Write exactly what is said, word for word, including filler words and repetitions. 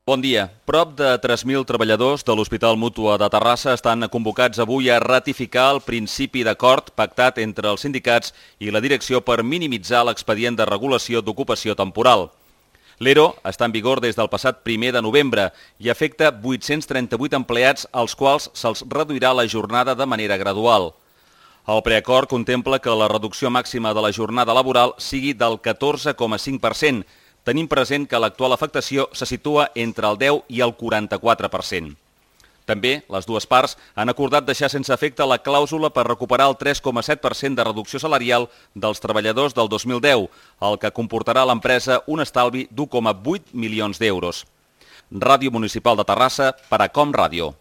Bon dia. Prop de tres mil treballadors de l'Hospital Mútua de Terrassa estan convocats avui a ratificar el principi d'acord pactat entre els sindicats i la direcció per minimitzar l'expedient de regulació d'ocupació temporal. L'E R O està en vigor des del passat primer de novembre i afecta vuit-cents trenta-vuit empleats als quals se'ls reduirà la jornada de manera gradual. El preacord contempla que la reducció màxima de la jornada laboral sigui del catorze coma cinc per cent, tenint present que l'actual afectació se situa entre el deu i el quaranta-quatre per cent. També, les dues parts han acordat deixar sense efecte la clàusula per recuperar el tres coma set per cent de reducció salarial dels treballadors del dos mil deu, el que comportarà a l'empresa un estalvi d'u coma vuit milions d'euros. Ràdio Municipal de Terrassa, Paracom Ràdio.